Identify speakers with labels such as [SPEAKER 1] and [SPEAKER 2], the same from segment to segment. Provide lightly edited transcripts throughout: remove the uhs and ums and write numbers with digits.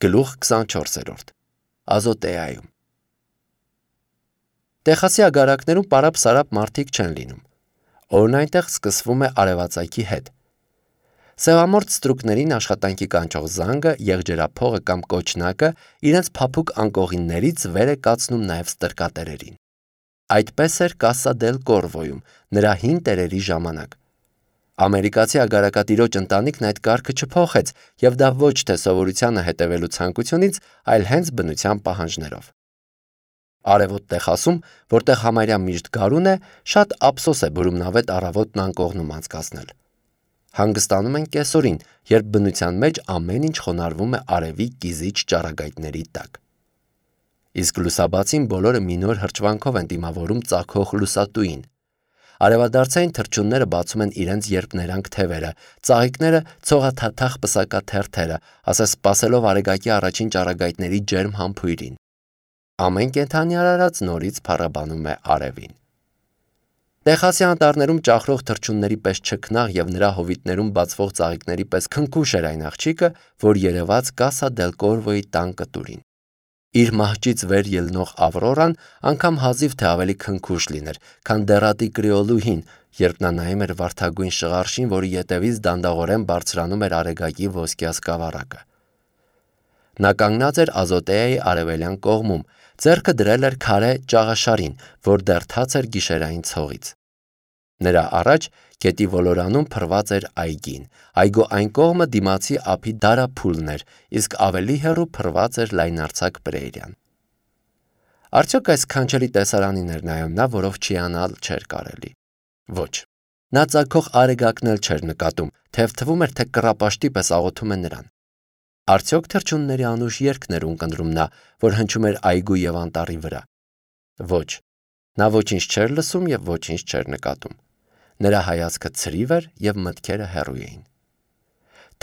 [SPEAKER 1] Գլուխ 24. Ազոտեայում։ Տեխասի ագարակներում պարապ-սարապ մարդիկ չեն լինում։ Օրն այնտեղ սկսվում է արևածագի հետ։ Սևամորթ ստրուկներին աշխատանքի կանչող զանգը, եղջերափողը կամ կոչնակը իրենց փափուկ անկողիններից վեր է կացնում նաև ստրկատերերին։ Այդպես էր Կասա դել Կորվոյում, նրա հին տերերի ժամանակ։ Ամերիկացի ագարակատիրոջ ընտանիքն այդ կարգը չփոխեց, եւ դա ոչ թե սովորությանը հետևելու ցանկությունից, այլ հենց բնության պահանջներով։ Արևոտ Տեխասում, որտեղ համարյա միշտ գարուն է, շատ ափսոս է բուրումնավետ առավոտն անկողնում անցկացնել։ Հանգստանում են կեսօրին, երբ բնության մեջ ամեն ինչ խոնարհվում է արևի կիզիչ ճառագայթների տակ։ Իսկ լուսաբացին բոլորը մի նոր հրճվանքով են դիմավորում ծագող լուսատուին։ Արևադարձային թռչունները բացում են իրենց երբներանգ թևերը, ծաղիկները ցողաթաթախ պսակաթերթերը, ասես սպասելով արեգակի առաջին ճառագայթների ջերմ համբույրին։ Ամեն կենդանի արարած նորից փառաբանում է արևին։ Տեխասի անտառներում ճախրող թռչունների պես չքնաղ եւ նրա հովիտներում բացվող ծաղիկների պես քնքուշ էր այն աղջիկը, որ երևաց Կասա դել Կորվոյի տան կտուրին։ Իր մահճից վեր ելնող Ավրորան անգամ հազիվ թե ավելի քնքուշ լիներ, քան դեռատի կրեոլուհին, երբ նա նայում էր վարդագույն շղարշին, որի ետևից դանդաղորեն բարձրանում էր արեգակի ոսկյա սկավառակը։ Նա կանգնած էր Ազոտեայի արևելյան կողմում, ձեռքը դրել էր քարե ճաղաշարին, որ դեռ թաց էր գիշերային ցողից։ Նրա առաջ գետի ոլորանում փռված էր այգին, այգու այն կողմը դիմացի ափի դարափուլն էր, իսկ ավելի հեռու փռված էր լայնարձակ պրերիան։ Արդյոք այս քանչելի տեսարանին էր նայում նա, որով չիանալ չէր կարելի։ Ոչ։ Նա ծագող արեգակն էլ չէր նկատում, թեև թվում էր, թե կռապաշտի պես աղոթում է նրան։ Արդյոք թռչունների անուշ երգն էր ունկնդրում նա, որ հնչում էր այգու եւ անտառի վրա։ Ոչ։ Նա ոչինչ չէր լսում եւ ոչինչ չէր նկատում։ Նրա հայացքը ցրիվ էր եւ մտքերը հեռու էին։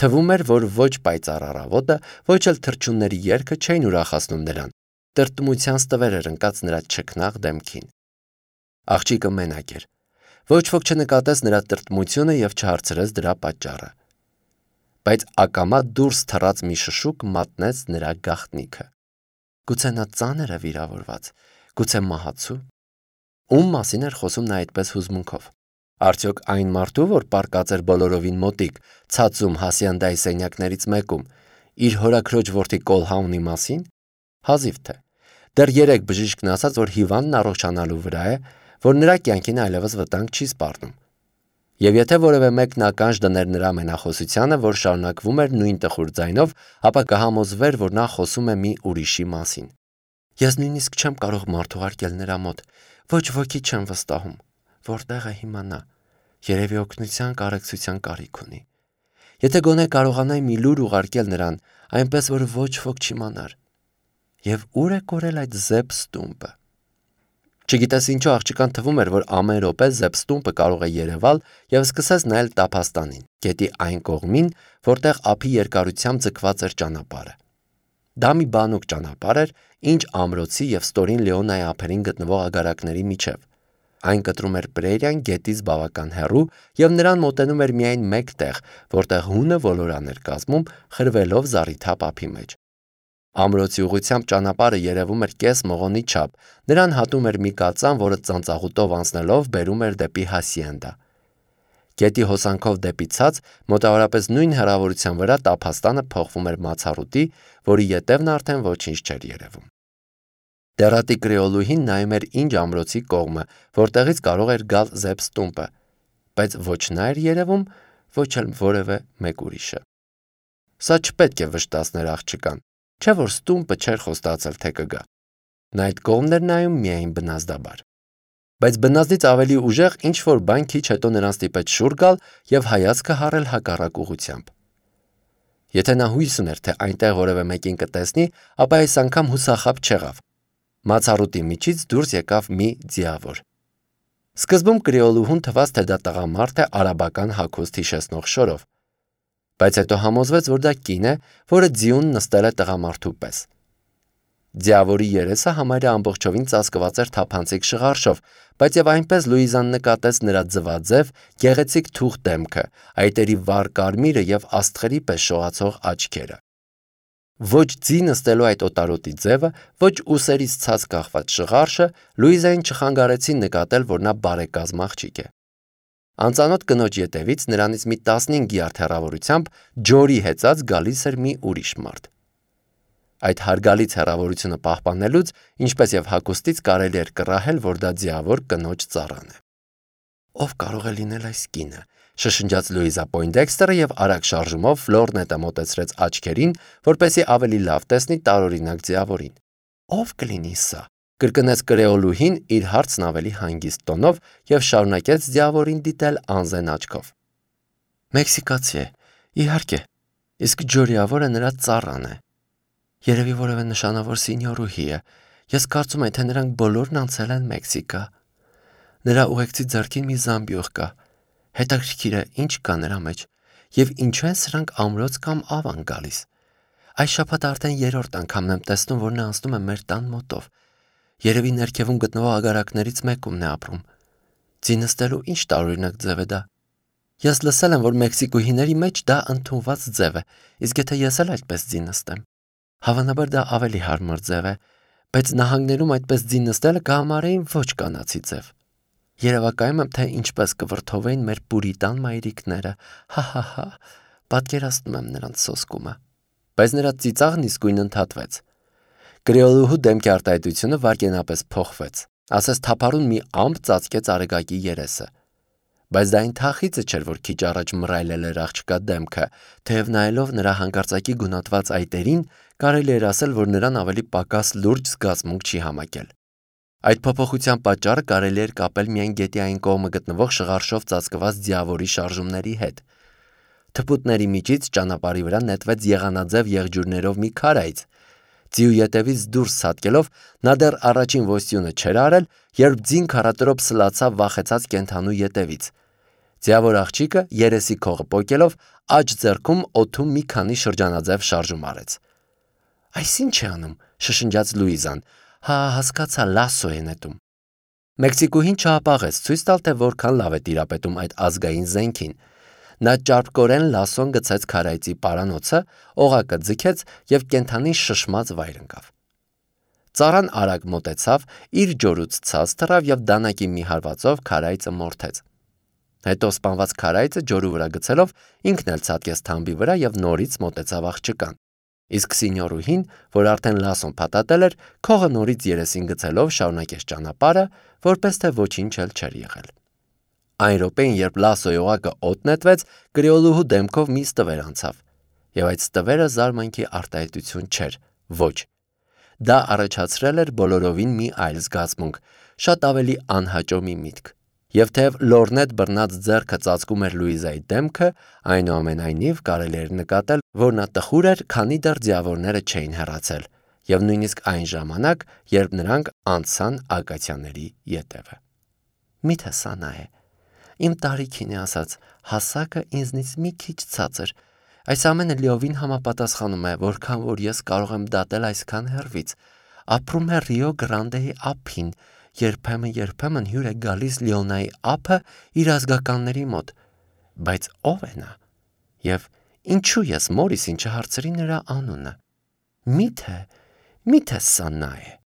[SPEAKER 1] Թվում էր, որ ոչ պայծառ առավոտը, ոչ էլ թռչունների երգը չէին ուրախացնում նրան։ Տրտմության ստվեր էր ընկած նրա չքնաղ դեմքին։ Աղջիկը մենակ էր։ Ոչ ոք չնկատեց նրա տրտմությունը եւ չհարցրեց դրա պատճառը։ Բայց ակամա դուրս թռած մի շշուկ մատնեց նրա գաղտնիքը։ Գուցե նա ծանր է վիրավորված, գուցե մահացու։ Ում մասին էր խոսում նա այդպես հուզմունքով։ Արդյոք այն մարդու, որ պառկած էր բոլորովին մոտիկ, ցածում հասիանդայի սենյակներից մեկում, իր հորաքրոջ որդի Կոլհաունի մասին։ Հազիվ թե։ Դեռ 3 բժիշկն ասաց, որ հիվանդն առողջանալու վրա է, որ նրա կյանքին այլևս վտանգ չի սպառնում։ Եվ եթե որևէ մեկն ականջ դներ նրա մենախոսությանը, որ շարունակվում էր նույն տխուր ձայնով, ապա կհամոզվեր, որ նա խոսում է մի ուրիշի մասին։ Ես նույնիսկ չեմ կարող մարդ ուղարկել նրա մոտ, ոչ ոքի չեմ վստահում, որտեղ է հիմա նա, երևի օգնության կարեկցության կարիք ունի։ Եթե գոնե կարողանայի մի լուր ուղարկել նրան, այնպես որ ոչ ոք չիմանար։ Եվ ուր է կորել այդ Զեփ Ստումպը։ Չգիտես ինչու աղջկան թվում էր, որ ամեն րոպե Զեփ Ստումպը կարող է երևալ եւ սկսես նայել տափաստանին, գետի այն կողմին, որտեղ ափի երկարությամբ ձգված էր ճանապարհը։ Դա մի բանուկ ճանապարհ էր, ինչ ամրոցի եւ Ստորին Լեոնայի ափերին գտնվող ագարակների միջև։ Այն կտրում էր պրերիան գետից բավական հեռու եւ նրան մոտենում էր միայն մեկ տեղ, որտեղ հունը ոլորան էր կազմում, խրվելով զառիթափ ափի մեջ։ Ամրոցի ուղությամբ ճանապարհը երևում էր կես մողոնի չափ, նրան հատում էր մի կածան, որը ծանծաղուտով անցնելով բերում էր դեպի հասիենդա։ Գետի հոսանքով դեպի ցած, մոտավորապես նույն հեռավորության վրա տափաստանը փոխվում էր մացառուտի, որի ետևն արդեն ոչինչ չէր երևում։ Դեռատի կրեոլուհին նայում էր ինչ ամրոցի կողմը, որտեղից կարող էր գալ Զեփ Ստումպը, բայց ոչ նա էր երևում, ոչ էլ որևէ մեկ ուրիշը։ Սա չպետք է վշտացներ աղջկան, չէ՞ որ Ստումպը չէր խոստացել, թե կգա։ Նա այդ կողմն էր նայում միայն բնազդաբար։ Բայց բնազդից ավելի ուժեղ ինչ-որ բան քիչ հետո նրան ստիպեց շուռ գալ եւ հայացքը հառել հակառակ ուղղությամբ։ Եթե նա հույս ուներ, թե այնտեղ որևէ մեկին կտեսնի, ապա այս անգամ հուսախաբ չեղավ։ Մացառուտի միջից դուրս եկավ մի ձիավոր։ Սկզբում կրեոլուհուն թվաց, թե դա տղամարդ է արաբական հագուստ հիշեցնող շորով, բայց հետո համոզվեց, որ դա կին է, որը ձիուն նստել է տղամարդու պես։ Ձիավորի երեսը համարյա ամբողջովին ծածկված էր թափանցիկ շղարշով, բայց եւ այնպես Լուիզան նկատեց նրա ձվաձև, գեղեցիկ թուղ դեմքը, այտերի վառ կարմիրը եւ աստղերի պես շողացող աչքերը։ Ոչ ձի նստելու այդ օտարոտի ձևը, ոչ ուսերից ցած կախված շղարշը Լուիզային չխանգարեցին նկատել, որ նա բարեկազմ աղջիկ է։ Անծանոթ կնոջ ետևից նրանից մի 15 յարդ հեռավորությամբ ջորի հեծած գալիս էր մի ուրիշ մարդ։ Այդ հարգալից հեռավորությունը պահպանելուց, ինչպես եւ հագուստից կարելի էր կռահել, որ դա ձիավոր կնոջ ծառան է։ Ով կարող է լինել այս կինը, շշնջաց Լուիզա Պոյնդեքստերը եւ արագ շարժումով ֆլորնետը մոտեցրեց աչքերին, որպեսզի ավելի լավ տեսնի տարօրինակ ձիավորին։ Ով կլինի սա, կրկնեց կրեոլուհին իր հարցն ավելի հանգիստ տոնով եւ շարունակեց ձիավորին դիտել անզեն աչքով։ Մեքսիկացի է, իհարկե, իսկ ջորիավորը նրա ծառան է։ Երևի որևէ նշանավոր սինյորուհի է։ Ես կարծում եմ, թե նրանք բոլորն անցել են Մեքսիկա։ Նրա ուղեկցի ձեռքին մի զամբյուղ կա։ Հետաքրքիր է, ինչ կա նրա մեջ, եւ ինչու են սրանք ամրոց կամ ավ են գալիս։ Այս շաբաթ արդեն 3-րդ անգամն եմ տեսնում, որ նա անցնում է մեր տան մոտով։ Երևի ներքևում գտնվող ագարակներից մեկումն է ապրում։ Ձի նստելու ինչ տարօրինակ ձև է դա։ Ես լսել եմ, որ մեքսիկուհիների մեջ դա ընդունված ձև է, իսկ եթե ես էլ այդպես ձի նստեմ, հավանաբար դա ավելի հարմար ձև է, բայց նահանգներում այդպես ձի նստելը կհամարեին ոչ կանացի ձև։ Երևակայում եմ, թե ինչպես կվրդովեին մեր պուրիտան մայրիկները, հա, պատկերացնում եմ նրանց սոսկումը։ Բայց նրա ծիծաղն իսկույն ընդհատվեց։ Կրեոլուհու դեմքի արտահայտությունը վայրկենապես փոխվեց, ասես թափառուն մի ամպ ծածկեց Արեգակի երեսը։ Բայց դա այն թախիծը չէր, որ քիչ առաջ մռայլել էր աղջկա դեմքը, թեև նայելով նրա հանկարծակի գունատված այտերին, կարելի էր ասել, որ նրան ավելի պակաս լուրջ զգացմունք չի համակել։ Այդ փոփոխության պատճառը կարելի էր կապել միայն գետի այն կողմը գտնվող շղարշով ծածկված ձիավորի շարժումների հետ։ Թփուտների միջից ճանապարհի վրա նետվեց եղանաձև եղջյուրներով մի քարայց։ Ձիու ետևից դուրս ցատկելով նա դեռ առաջին ոստյունը չէր արել, երբ ձին քարատրոփ սլացավ վախեցած կենդանու ետևից։ Ձիավոր աղջիկը երեսի քողը պոկելով աջ ձեռքում օդում մի քանի շրջանաձև շարժում արեց։ Այս ինչ է անում, շշնջաց Լուիզան։ Հա, հասկացա, լասո է նետում։ Մեքսիկուհին չհապաղեց ցույց տալ, թե որքան լավ է տիրապետում այդ ազգային զենքին։ Նա ճարպկորեն լասոն գցեց քարայծի պարանոցը, օղակը ձգեց եւ կենդանին շշմած վայր ընկավ։ Ծառան արագ մոտեցավ, իր ջորուց ցած թռավ եւ դանակի մի հարվածով քարայծը մորթեց։ Հետո սպանված քարայծը ջորու վրա գցելով ինքն էլ ցատկեց թամբի վրա եւ նորից մոտեցավ աղջկան։ Իսկ սինյորուհին, որ արդեն լասոն փաթաթել էր, քողը նորից երեսին գցելով շարունակեց ճանապարհը, որպես թե ոչինչ էլ չէր եղել։ Այն րոպեին, երբ լասոյի օղակը օդ նետվեց, կրեոլուհու դեմքով մի ստվեր անցավ, եւ այդ ստվերը զարմանքի արտահայտություն չէր, ոչ։ Դա առաջացրել էր բոլորովին մի այլ զգացմունք, շատ ավելի անհաճո մի միտք։ Եվ թեև լորնետ բռնած ձեռքը ծածկում էր Լուիզայի դեմքը, այնուամենայնիվ կարելի էր նկատել, որ նա տխուր էր, քանի դեռ ձիավորները չէին հեռացել, եւ նույնիսկ այն ժամանակ, երբ նրանք անցան ակացիաների ետևը։ Միթե սա նա է։ Իմ տարիքին է ասած, հասակը ինձնից մի քիչ ցածր։ Այս ամենը լիովին համապատասխանում է, որքան որ ես կարող եմ դատել այսքան հեռվից։ Ապրում է Ռիո Գրանդեի ափին, երբեմն հյուր է գալիս Լիոնայի ափը իր ազգականների մոտ։ Բայց ով է նա։ Եվ ինչու ես Մորիսին չհարցրի նրա անունը։ Միթե սա նա է։